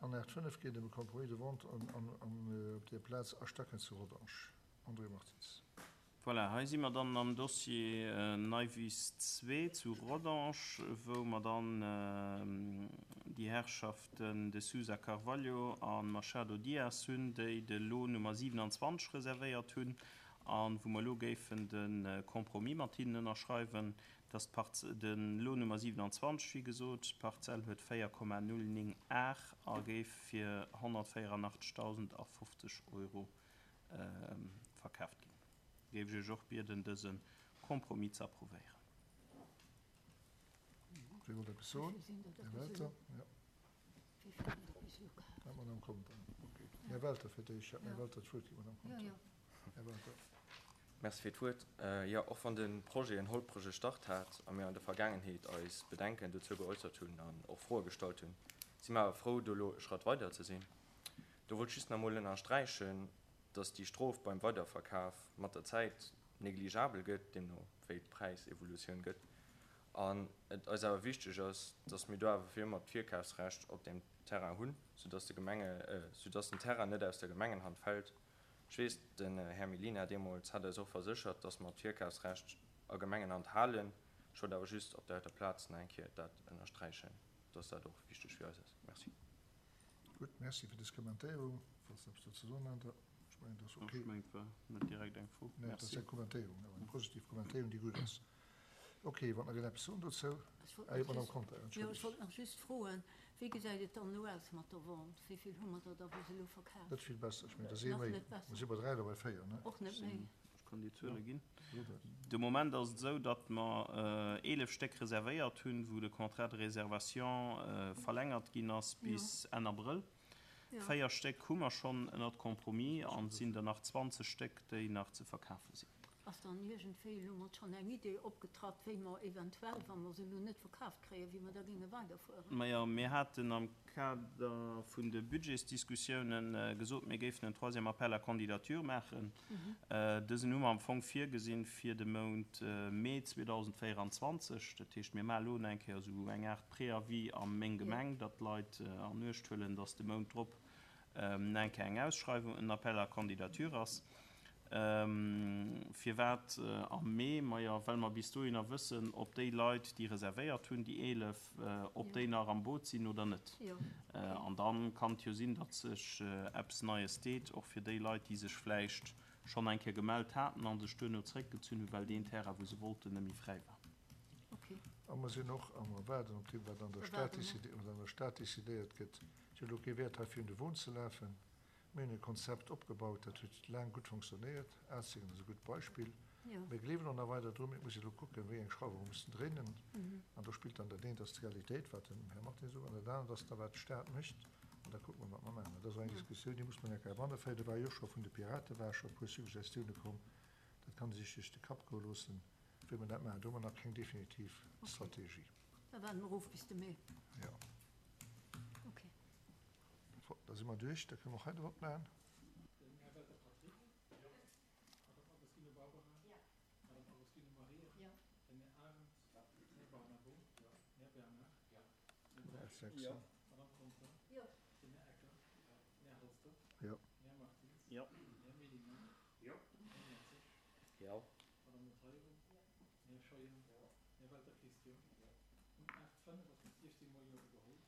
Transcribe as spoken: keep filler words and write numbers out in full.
An Art fënnef geet ëm e Compromis de vente op där Plaz A Stacken zu Rodange. André Martins. Voilà, hei si mer dann am Dossier Neiwiss zwee zu Rodange, wou mer dann déi Herrschaften De Sousa Carvalho a Machado Dias hunn, déi de Lot Nummer siewenanzwanzeg reservéiert hunn a wou mer elo géifen de Compromis mat hinnen ënnerschreiwen, dass de Lot Nummer siewenanzwanzeg, wéi gesot, d'Parzell huet véier Komma null néng Ar a géif fir honnertvéierundachteztausendafofzeg Euro verkaaft ginn. Géif ech Iech och bieden, dëse Compromis ze approuvéieren. Wie wollt eppes soen? Här Welter? Jo. Ah, Madame Conter. Okay. Här Welter fir d'éischt. Ech hat dem Här Welter d'Wuert ginn, Madame Conter. Här Welter. Merci fir d'Wuert. Jo, och wann de Projet en holprege Start hat a mir an der Vergaangenheet eis Bedenken dozou geäussert hunn an och Froe gestallt hunn, si mir awer frou, do elo e Schratt weider ze sinn. Do wollt ech just nach emol ënnersträichen, dass déi Strof beim Weiderverkaf mat der Zäit negligeabel gëtt, deemno wéi d'Präisevolutioun gëtt, an et eis awer wichteg ass, dass mir do awer fir ëmmer d'Virkafsrecht op deem Terrain hunn, soudass de Gemenge, soudass den Terrain net aus der Gemengenhand fält. Ech weess, den Här Mellina deemools hat eis och verséchert, dass mer d'Virkafsrecht a Gemengenhand halen. Ech wollt awer just op där heiter Plaz nach eng Kéier dat ënnersträichen, dass dat och wichteg fir eis ass. Merci. Gutt, merci fir dës Kommentéierung. Falls Der eppes dozou soen hat. Ech mengen, dat ass ok. Ech mengen, et war net direkt eng Fro. Nee, et ass eng Kommentéierung, awer eng positiv Kommentéierung, déi gutt ass. Ok, wann nach een eppes soen dozou? Ah jo, d'Madame Conter, Ech wollt entschëllegt. nach just froen, Wéi gesäit et dann elo aus mat der Vente? Wéi vill hu mer der da bis elo verkaf? Net vill besser. Ech mengen, et ass ee Nach méi. net besser. Mer si bei dräi oder bei véier, ne? Och net méi. Ech kann déi Zuele ginn. De Moment ass et esou, datt mer eelef Stéck reservéiert hunn, wou de Contrat de réservation verlängert ginn ass bis Enn Abrëll. Véier Stéck hu mer schonn ënnert Compromis an et sinn der nach zwanzeg Stéck, déi nach ze verkafe sinn. Ass dann iergendwéi elo mat schonn eng Idee opgetratt, wéi mer eventuell, wa mer se elo net verkaaft kréien, wéi mer da géinge weiderfueren? Majo, mir haten am Kader vun de Budgetsdiskussiounen gesot, mir géifen en troisième appel à candidatures maachen. Dësen hu mer am Fong virgesinn fir de Mount Mee zweedausendvéieranzwanzeg. Dat heescht, mir maache elo nach eng Kéier esou eng Aart Préavis a meng Gemeng, datt d'Leit an Uecht huelen, datt de Mount drop nach eng Kéier eng Ausschreiwung, en Appel à candidatures ass. Firwat am Mee? Majo, well mer bis dohinner wëssen, ob déi Leit, déi reservéiert hunn, déi eelef, ob déi nach am Boot sinn oder net. An da kann et jo sinn, datt sech eppes Neies deet, och fir déi Leit, déi sech vläicht schonn eng Kéier gemellt haten a sech duerno zréckgezunn hunn, well deen Terrain, wou se wollten, net méi fräi war. A mer sinn och am Erwaarden op deem, wat an der Stad decidéiert gëtt. Et huet elo kee Wäert, hei virun de Won ze lafen. Mir hunn e Konzept opgebaut, dat huet laang gutt fonctionnéiert. Atzingen ass e gutt Beispill. Mir gleewen och nach weider drun. Mee et muss ee elo kucken, wéi eng Schrauwe mer mussen dréinen. An do spillt dann dat eent ass d'Realitéit, wat den Här Martin sot, an dat anert ass da, wat d'Stad mécht. An da kucke mer, wat mer maachen. Dat ass och eng Diskussioun, déi muss mer enk eraneféieren. Do war jo scho vun de Pirate war scho e puer Suggestioune komm. Dat kann ee sech duerch de Kapp goe loossen, wéi mer dat maachen. Do hu mer nach keng definitiv Strategie. Da waarde mer of bis de Mee. Jo. Da si mer duerch, da kënne mer och hei de Vott maachen. Den Här Welter Patrick. Jo. Madame Agostino Barbara. Jo. Madame Agostino Maria. Jo. Den Här Arendt. Jo. Den Här Barnabo. Jo. Den Här Bernard. Jo. Den Här Breisch. Jo. Madame Conter. Jo. Den Här Ecker. Jo. Den Här Halsdorf. Jo. Den Här Martins. Jo. Den Här Mellina. Jo. Den Här Mertzig. Jo. Madame Monteiro. Jo. Den Här Scheuer. Jo. Den Här Welter Christian. Jo. Um aacht fënnef ass mat siechzéng mol Jo ugeholl.